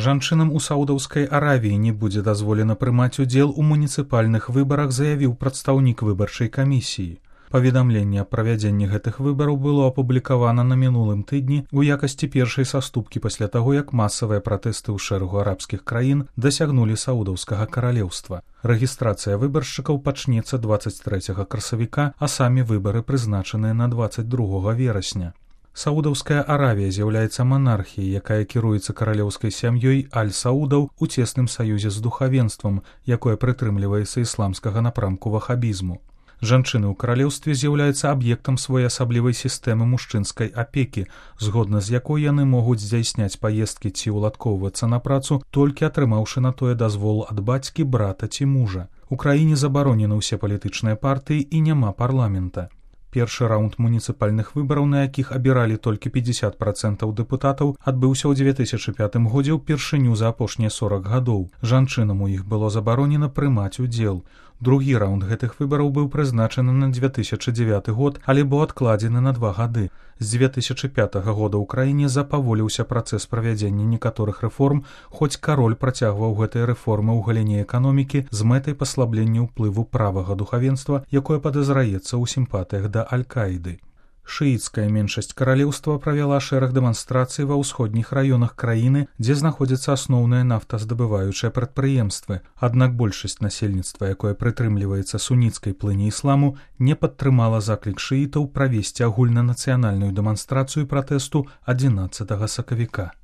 Жанчынам у Саудаўскай Аравіі не будзе дазволена прымаць удзел у муніцыпальных выбарах, заявіў прадстаўнік выбарчай камісіі. Паведамленне аб правядзенні гэтых выбараў было апублікавана на мінулым тыдні ў якасці першай саступкі пасля таго, як масавыя пратэсты ў шэрагу арабскіх краін дасягнулі Саудаўскага каралеўства. Рэгістрацыя выбаршчыкаў пачнецца 23 красавіка, а самі выбары прызначаныя на 22 верасня. Саудаўская Аравія з'яўляецца манархіяй, якая кіруецца каралеўскай сям'ёй аль-Саудаў у цесным саюзе з духавенствам, якое прытрымліваецца ісламскага напрамку вахабізму. Жанчыны ў каралеўстве з'яўляюцца аб'ектам своеасаблівай сістэмы мужчынскай апекі, згодна з якой яны могуць здзяйсняць паездкі ці ўладкоўвацца на працу, толькі атрымаўшы на тое дазвол ад бацькі, брата ці мужа. У краіне забаронены ўсе палітычныя партыі і няма парламента. Першы раунд муніцыпальных выбараў, на якіх абіралі толькі 50% дэпутатаў, адбыўся ў 2005 годзе ўпершыню за апошнія 40 гадоў. Жанчынам у іх было забаронена прымаць удзел. Другі раунд гэтых выбараў быў прызначаны на 2009 год, але быў адкладзены на 2 гады. З 2005 года ў краіне запаволіўся працэс правядзення некаторых рэформ, хоць кароль працягваў гэтыя рэформы ў галіне эканомікі з мэтай паслаблення ўплыву правага духавенства, якое падазраецца ў сімпатыях да Аль-Каіды. Шыіцкая меншасць каралеўства правяла шэраг дэманстрацый ва ўсходніх раёнах краіны, дзе знаходзяцца асноўныя нафтаздабываючыя прадпрыемствы. Аднак большасць насельніцтва, якое прытрымліваецца суніцкай плыні ісламу, не падтрымала заклік шыітаў правесці агульнанацыянальную дэманстрацыю пратэсту 11 сакавіка.